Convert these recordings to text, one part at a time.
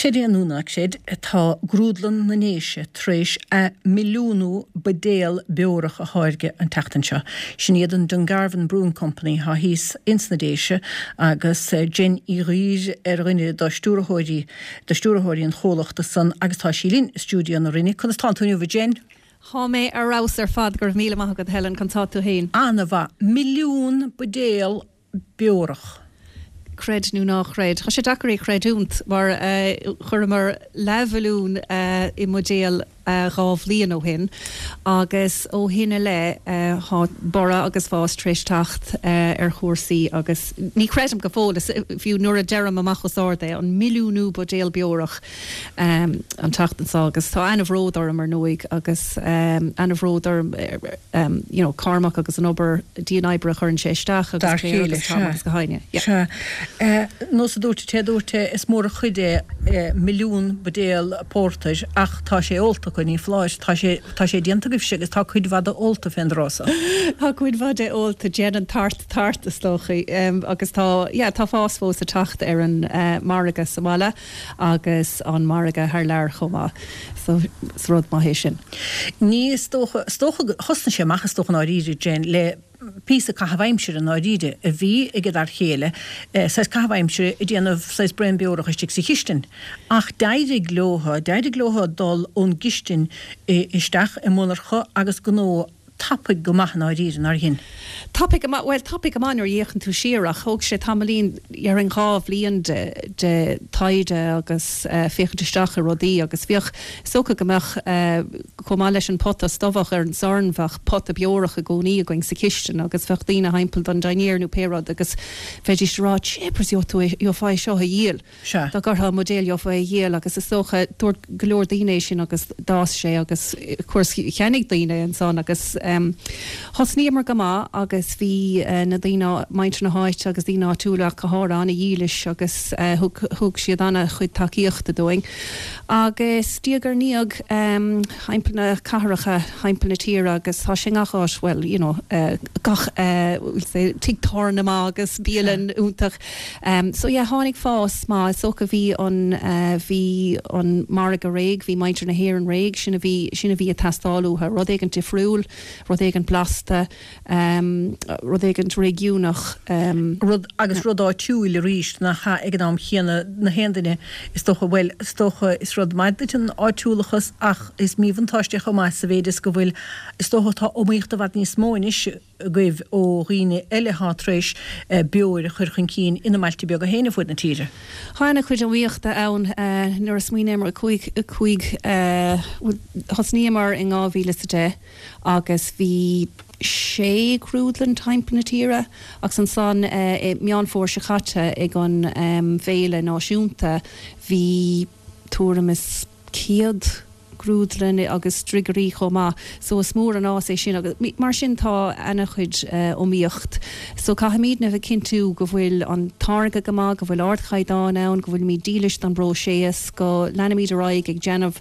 Creid é nó ná creid, tá Grúdlann na nDéise tar éis a milliúnú buidéal beorach a tháirgeadh an tseachtain seo. Sin iad an Dungarvan Brewing Company thá thíos ins na Déise agus Jen Uí Dhuibhir ar dhuine do stiúrthóirí do stiúrthóirí an chomhlachta san agus tá sí linn i stiúideo na Rinne. Conas tánn tú inniu a Jen? Thá mé ar fheabhas ar fad, go raibh míle maith agat Helen, conas tá tú fhéin? Ana-mhaith. Milliún buidéal beorach. Creid nó ná creid, tá sé deacair é chreidiúnt mar chuireamar leathmhilliún i mbuidéal 2 bhliain ó shin agus ó shin i leith tá borradh agus fás tar éis teacht ar chúrsaí agus ní chreidim go fóill, fiú nuair a deirim amach os ard é, an milliúnú buidéal beorach an tseachtain seo agus tá ana-bhród orm ar ndóigh agus ana-bhród orm you know Cormac agus an obair dian-oibre a chuireann sé isteach agus Claire agus Tom agus gach éinne. Yeah. Sea. Nós a dúirt an té a dúirt é, is mór an chuid é milliún buidéal pórtair ach tá sé ólta acu, ní foláir. Tá sé, tá sé déanta agaibhse agus tá cuid mhaith de ólta fén dtráth so. Tá cuid mhaith de ólta, déanann tart tart is dócha agus tá, yeah, tá fás fós ag teacht ar an margadh sa bhaile. agus an margadh thar lear chomh maith. So is rud maith é sin. Ní is dócha, is dócha go, thosnaigh sé amach is dócha i ndáiríre, Jen, le píosa caitheamh aimsire i ndáiríre a bhí ag an fhear chéile, saghas caitheamh aimsire ag déanamh saghas braon beorach istigh sa chistin. Ach d'éirigh leo, d'éirigh leo dul ón gcistin isteach i monarcha agus gnó tapaidh go maith i ndáiríre, nár dhein? Tapaidh go maith, bhuel, tapaidh go maith nuair a fhéachann tú siar ach thóg sé tamaillín, déarfainn 2 bhliain de, de taighde agus féachaint isteach i rudaí agus bhíodh, is dócha go mbeadh, chomh maith leis an pota stobhach ar an sorn, bheadh pota beorach i gcónaí againn sa chistin agus bheadh daoine thimpeall don dinnéar nó pé rud agus bheidís ag rá, Jeepers, gheobhaidh tú é, gheofá é seo a dhíol. Sea. Dá gcuirfeá i mbuidéal gheofá é a dhíol agus is dócha, dúirt go leor daoine é sin agus d'fhás sé agus of course cheannaigh daoine é ansan agus thosnaíomar go maith agus bhí na daoine, muintir na háite agus daoine áitiúla ach go háirithe ana-dhílis agus thug, thug siad ana-chuid tacaíochta dúinn agus diaidh ar ndiaidh thimpeall na cathracha, thimpeall na tíre agus tá sé i ngach áit, bhuel you know gach we'll say tigh tábhairne maith agus bialann iontach. So yeah, tháinig fás maith. Is dócha bhí an, bhí an margadh réidh, bhí muintir na hÉireann réidh, sin a bhí, sin a bhí ag teastáil uathu, rud éigint difriúil, rud éigint blasta, rud éigint réigiúnach. Rud, agus rud áitiúil arís, nach ea, ag an am chéanna, na haon duine, is dócha, bhuel, is dócha, is rud maith duit an áitiúlachas ach is míbhuntáiste é chomh maith sa mhéid is go bhfuil, is dócha, tá iomaíocht i bhfad níos mó anois, agaibh ó dhaoine eile atá tar éis beoir a chur chun cinn ina mbailte beaga féin ar fuaid na tíre. Tá ana-chuid iomaíochta ann. Nuair a smaoiníomar, 5, 5, bhuel, thosnaíomar in 2010 agus bhí sé ghrúdlann timpeall na tíre agus ansan i Meán Fómhair seo caite ag an bhféile náisiúnta bhí tuairim is 100 grúdlann agus driogairí chomh maith so is mór an fhás é sin agus mar sin tá ana-chuid iomaíocht so caithfimídne a bheith cinntiú go bhfuil an táirge go maith, go bhfuil ardchaighdeán ann, go bhfuilimid dílis don bpróiseas, go leanaimid ar aghaidh ag déanamh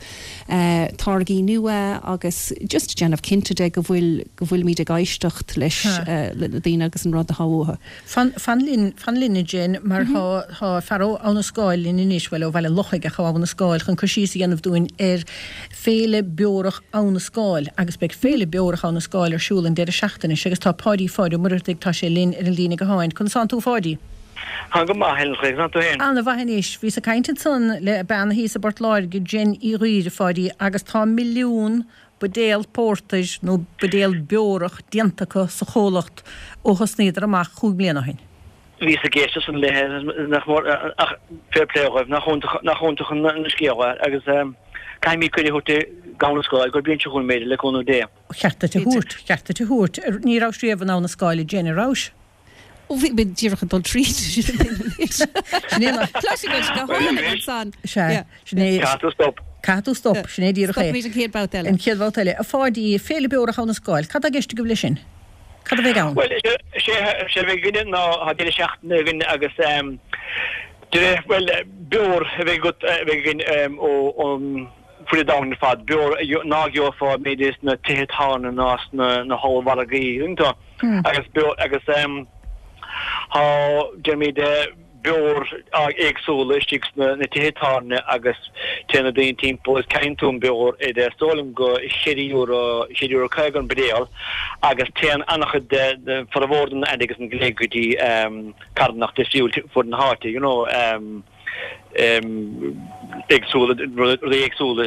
táirgí nua agus just déanamh cinnte de go bhfuil go bhfuilimid ag éisteacht leis na daoine agus an rud atá uathu. Fan, fan linn, fan linn a Jen, mar tá, tá fear ó Abha na Scáil linn anois, bhuel, ó Bhaile an Lochaigh ach ó Abha na Scáil, chun cur síos a dhéanamh dúinn ar Féile Beorach Abha na Scáil agus beidh Féile Beorach Abha na Scáil ar siúl an deireadh seachtaine seo agus tá Páidí Pháid Ó Muircheartaigh, tá sé linn ar an líne gutháin. Conas tánn tú a Pháidí? Táim go maith, Helen, conas tánn tú féin? Ana-mhaith anois. Bhíos ag caint ansan le bean thíos i bPort Láirge, Jen Uí Dhuibhir, a Pháidí, agus tá milliún buidéal pórtair nó buidéal beorach déanta acu sa chomhlacht ó thosnaíodar amach chúig mbliana ó shin. Bhíos ag éisteacht san léithe, nach mór, ach fair play dhóibh, nach iontach, nach iontach an scéal é agus caithfimid cuireadh a thabhairt d'Abha na Scáil gur bliain seo chugainn b'fhéidir, le cúnamh Dé. Cheart duit a thabhairt, cheart duit a thabhairt. Ní rabhais riamh in Abha na Scáil, a Jen, an rabhais? Ó bhí mé díreach ag dul tríd sin anois. Sin é an. Cloisim muid go hálainn ansan. Sea. Sin é. Caithfidh tú stop. Caithfidh tú stop, sin é díreach é. Stopfaimid an chéad bhabhta eile. An chéad bhabhta eile. A Pháidí, Féile Beorach Abha na Scáil, cad tá i gceist agaibh leis sin? Cad a bheidh ann? Bhuel, is é a bheidh againne ná tá deireadh seachtaine againn agus deireadh, bhuel, beoir a bheidh agat, a bheidh againn ó ón fud an domhain ar fad, beoir ná gheofá b'fhéidir sna tithe tábhairne ná sna hollmhargaí, tuigeann tú? Agus beoir, agus tá, déarfaimid. beoir éagsúla istigh sna na tithe tábhairne agus téann na daoine timpeall is ceannaíonn tú an beoir ar is dóigh liom go €4, €4.50 an buidéal agus téann an-chuid de, formhór den airgead san go léir go dtí carthanacht difriúil fud na háite, you know, éagsúla, rudaí éagsúla.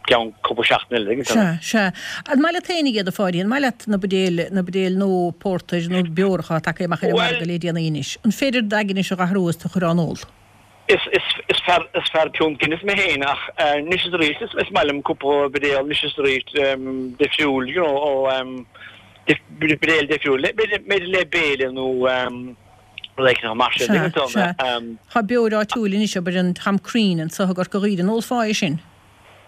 ceann cúpla seachtain eile agus Sea, sea. An maith leat féinig iad, a Pháidí? An maith leat na buidéil, na buidéil nó pórtair nó beoracha atá tagtha amach ar an margadh le déanaí anois? An féidir d'aigne a dh'athrú is tú a chur á n-ól? Is, is, is fear, is fear piúnt Guinness mé féin ach anois is arís is, is maith liom cúpla buidéal anois is arís difriúil, you know, ó buidéal difriúil, b'fhéidir le béile nó. Mar sin, Sea, sea. Tá beoir áitiúil anois, abair an Tom Crean anso i gCorca Dhuibhne. An ólfá é sin?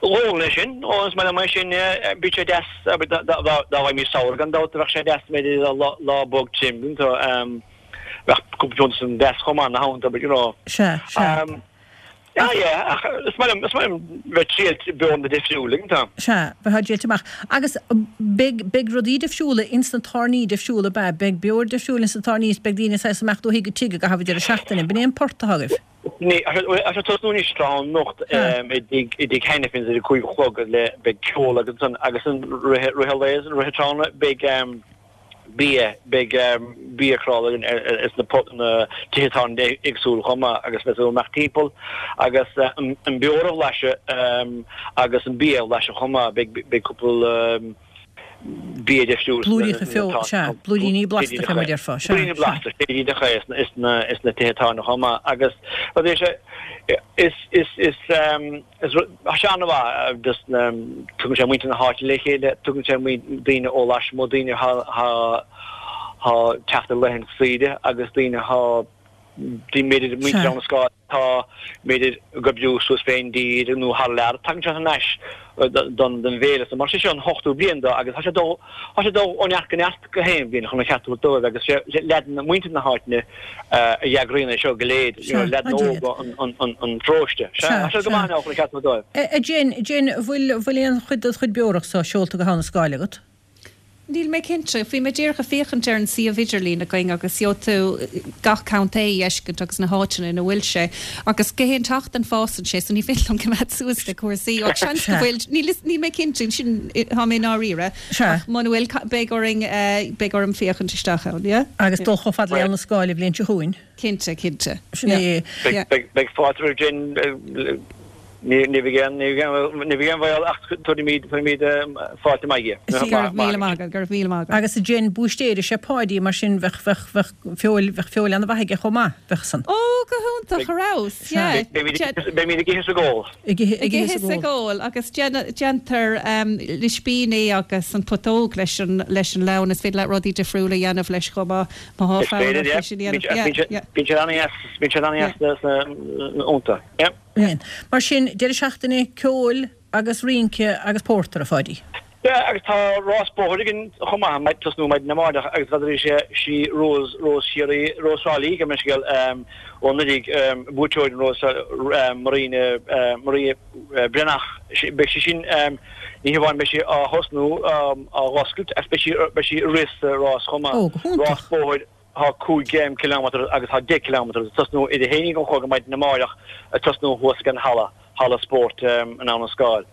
D'ólfainn é sin. Ó, is maith liom é sin. Bíonn sé deas, abair, dá bhfaighimís samhradh gan dabht, bheadh sé deas, b'fhéidir, lá bog tirim, bheadh cúpla piúnta san deas chomh maith, ina theannta, abair, you know. Sea, sea. Yeah, yeah, ach is maith liom, is maith liom bheith ag triailt beoranna difriúla, an t-am. Sea, bheith á dtriailt amach. Agus beidh, beidh rudaí difriúla ins na tábhairní difriúla, ab ea? Beidh beoir difriúil ins na tábhairní is beidh daoine saghas ag imeacht ó thigh go tigh i gcaitheamh an deireadh seachtaine. B'in é an port atá agaibh. Ní, tá sé ag tosnú anois tráthnóna anocht i dtigh, i dtigh Hannifin's ar a 5 a chlog le, beidh ceol agus ansan, agus an rith, rith an lae is rith an tráthnóna beidh, bia, beidh bia crála againn ins na tithe tábhairne éagsúla chomh maith agus beidh tú ag imeacht timpeall agus an beoir a bhlaiseadh agus an bia a bhlaiseadh chomh maith, beidh cúpla bia difriúil Blúiríocha feo, sea, blúiríní blasta fé mar a déarfá, sea, Blúiríní blasta, sea, ins na tithe tábhairne chomh maith agus rud é seo is, is, is. Is rud, tá sé an-mhaith, just tugann sé muintir na háite le chéile, tugann sé daoine ó lasmuigh, daoine atá teacht ar laethanta saoire agus daoine atá, b'fhéidir muintir Abhainn an Scáil atá b'fhéidir ag oibriú suas fén dtír nó thar lear, tagann siad thar n-ais don bhféile so mar sé seo an hochtú bliain dó agus tá sé dul, tá sé dul ó neart go neart gach aon bhliain chun an cheart a thabhairt dóibh agus sé leaideanna, muintir na háitne a eagraíonn é seo go léir, you know, leaideanna óga an pharóiste. Sea, tá sé go maith now chun an ceart a thabhairt dóibh. A Jen, Jen, bhfuil, bhfuil aon chuid de do chuid beorach so seolta go hAbha na Scáil agat? Níl mé cinnte. Bhí mé díreach ag féachaint ar an suíomh idirlín againn agus gheobhaidh tú gach contae a fheiscint agus na háiteanna ina bhfuil sé. Agus gach aon tseachtain fásann sé so ní féidir liom coimeád suas le cúrsaí. Ach seans go bhfuil, níl, níl mé cinnte, sin, tá mé i ndáiríre. Sea. Ach muna bhfuil, beidh orainn, beidh orm féachaint isteach ann, yeah? Agus dul chomh fada le Abha na Scáil an bhliain seo chugainn. Cinnte, cinnte. Sin é. Yeah. Beidh fáilte roimh Jen, ní bheidh aon, ní bheidh aon bhaol ach tabharfaimid, tabharfaimid fáilte maith di. Go raibh míle maith agat, go raibh míle maith agat. Agus a Jen, búistéir is ea Páidí, mar sin bheadh, bheadh, bheadh feoil, bheadh feoil ana-mhaith aige chomh maith, bheadh san. Ó, go hiontach, ar fheabhas, yeah. Beimid ag ithe is ag ól. Ag ithe, ag ithe is ag ól. Agus déantar ispíní agus an putóg leis an, leis an lann, is féidir leat rudaí difriúla a dhéanamh leis chomh maith, má thá fonn ort é sin a dhéanamh. Yeah, yeah. Bíonn sé an-dheas, bíonn sé an-dheas sna ionta. Yeah. Mar sin, deireadh seachtaine ceoil agus rince agus pórtar, a Pháidí. Yeah, agus tá rás bóthair againn chomh maith, ag tosnú maidin amárach agus n'fheadar is sí Rose, Rós Chiarraí, Rós Thrá Lí, gabh mo leithscéal, ó Ndoirigh, buaiteoir an Rós, Marina, Maria Breathnach, beidh sí sin, ní hamháin beidh sí á thosnú, á dh'oscailt, ach beidh sí, beidh sí ag rith sa rás chomh maith. Ó, go hiontach. Rás bóthair. Tá 5 kilometre agus tá 10 kilometre ag tosnú idir 11 an chlog maidin amáireach ag tosnú thuas ag an halla, halla spóirt in Abha na Scáil.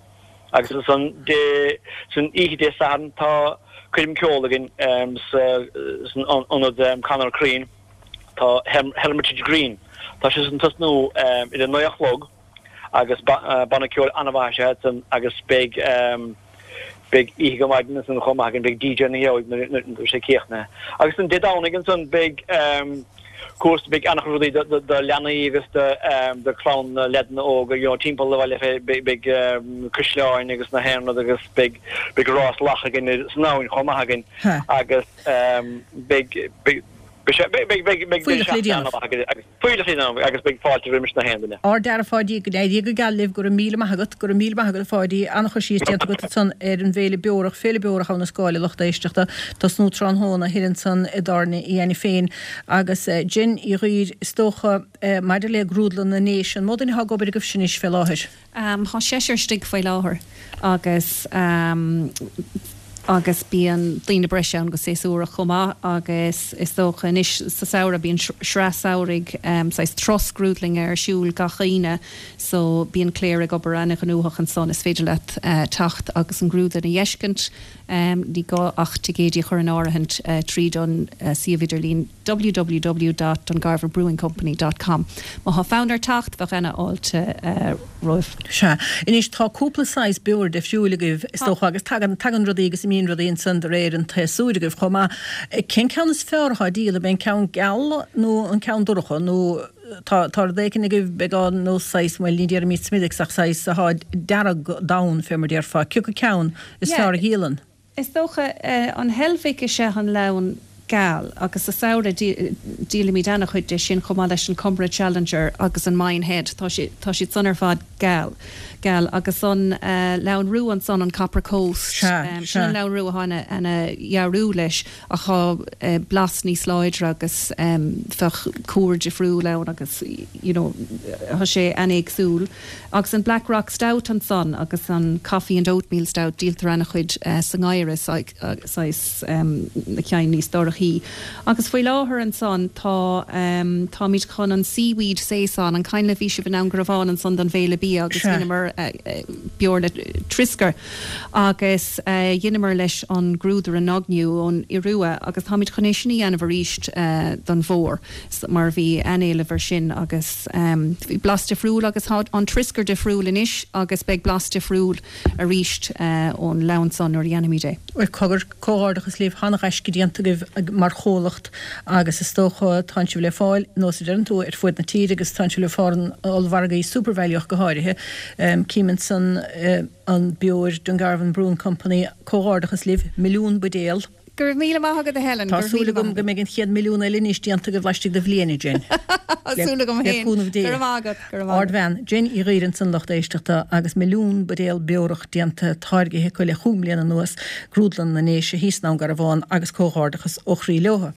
Agus ansan Dé, san oíche Dé Sathairn tá coirm ceoil againn sa, san ionad Conor Crean, tá Hermitage Green. Tá sé san tosnú idir 9 a chlog agus banna ceoil an-mhaith is ea iad san agus beidh beidh oíche go maidin ansan chomh maith againn, beidh DJ ina dhiaidh nuair a bheidh sé críochnaithe. Agus an Dé Domhnaigh ansan beidh cúrsa, beidh an-chuid rudaí do leanaí agus do chlann na leaideanna óga, you know, timpeall an bhaile fé, beidh caisleáin agus na haon rud agus beidh beidh rás lach againn san abhainn chomh maith againn agus beidh beidh beidh beidh beidh beidh Fuílleach le déanamh. an-mhaith againn agus Fuílleach le déanamh agus beidh fáilte roimis na haon duine. Ard-fhear a Pháidí, go n-éirí go geal libh, go raibh míle maith agat, go raibh míle maith agat a Pháidí, an-chur síos déanta agat ansan ar an bhFéile Beorach, Féile Beorach Abha na Scáil a lucht éisteachta, tosnú tráthnóna thoir ansan i dTábhairne Uí Ainiféin. Agus Jen Uí Dhuibhir, is dócha, maidir le Grúdlann na nDéise, an mó duine atá ag obair agaibhse anois fé láthair? Tá seisear istigh faoi láthair agus. Agus bíonn daoine breise ann go séasúrach chomh maith agus is dócha anois sa samhradh bíonn sraith samhraidh, saghas turas grúdlainne ar siúl gach Aoine so bíonn Claire ag obair ana-ghnóthach ansan. Is féidir leat teacht agus an ghrúdlann a fheiscint. Ní gá ach ticéidí a chur in áirithint tríd an suíomh idirlín www dot dungarvanbrewingcompany dot com. Má thá fonn ort teacht, bheadh ana fháilte romhaibh. Sea. Anois, tá cúpla saghas beoir difriúil agaibh, is dócha, agus tagann, tagann rudaí agus imíonn rudaí ansan de réir an tséasúir agaibh chomh maith. Cén ceann is fearr atá ag díol, ab é an ceann geal nó an ceann dorcha nó tá, tá rud éicint agaibh beagán nó saghas, bhuel, ní déarfaimid Smithwick's ach saghas atá dearg donn, fé mar déarfá. Cé acu ceann is fearr a dhíolann? Is dócha, an Heilbhic is ea an leann geal agus sa samhradh díolaimid ana-chuid de sin chomh maith leis an Comeragh Challenger agus an Minehead, tá siad, tá siad san ar fad geal, geal. Agus an leann rua ansan, an Copper Coast, Sea, sin sea. an leann rua atá ana, ana-fhearúil leis ach tá blas níos láidre agus bheadh cúr difriúil ann agus you know tá sé an-éagsúil. Agus an Black Rock Stout ansan agus an Coffee and Oatmeal Stout, díoltar ana-chuid sa ngeimhreadh, saghas na cinn níos dorchaí. Agus faoi láthair ansan tá, táimid chun an Seaweed Saison, an cuimhin libh bhí sibh i nDún Garbhán ansan don bhFéile Bia agus dheineamar beoir le trioscar agus dheineamar leis an grúdaire Nogniu ón Iorua agus táimid chun é sin a dhéanamh arís don bhfómhar mar bhí an-éileamh air sin agus. Bhí blas difriúil agus tá an trioscar difriúil anois agus beidh blas difriúil arís ón leann san nuair a dhéanfaimid é. Bhuel, cogar, comhghairdeachas libh, an-ghaisce déanta agaibh mar chomhlacht agus is dócha tánn sibh le fáil, nós a deireann tú, ar fuaid na tíre agus tánn sibh le fáil in ollmhargaí Supervalu ach go háirithe. Cím ansan an beoir Dungarvan Brewing Company, comhghairdeachas libh, milliún buidéal. Go raibh míle maith agat a Helen. Tá súil agam go mbeidh an chéad mhilliún eile anois déanta agaibh laistigh de bhliain, a Jen. Tá súil agam Le féin. cúnamh Dé. Go raibh maith agat. Go raibh maith agat. Ardbhean, Jen Uí Ghaoir ansan lucht éisteachta agus milliún buidéal beorach déanta, táirgithe acu le chúig mbliana anuas, Grúdlann na nDéise thíos i nDún Garbhán agus comhghairdeachas ó chroí leotha.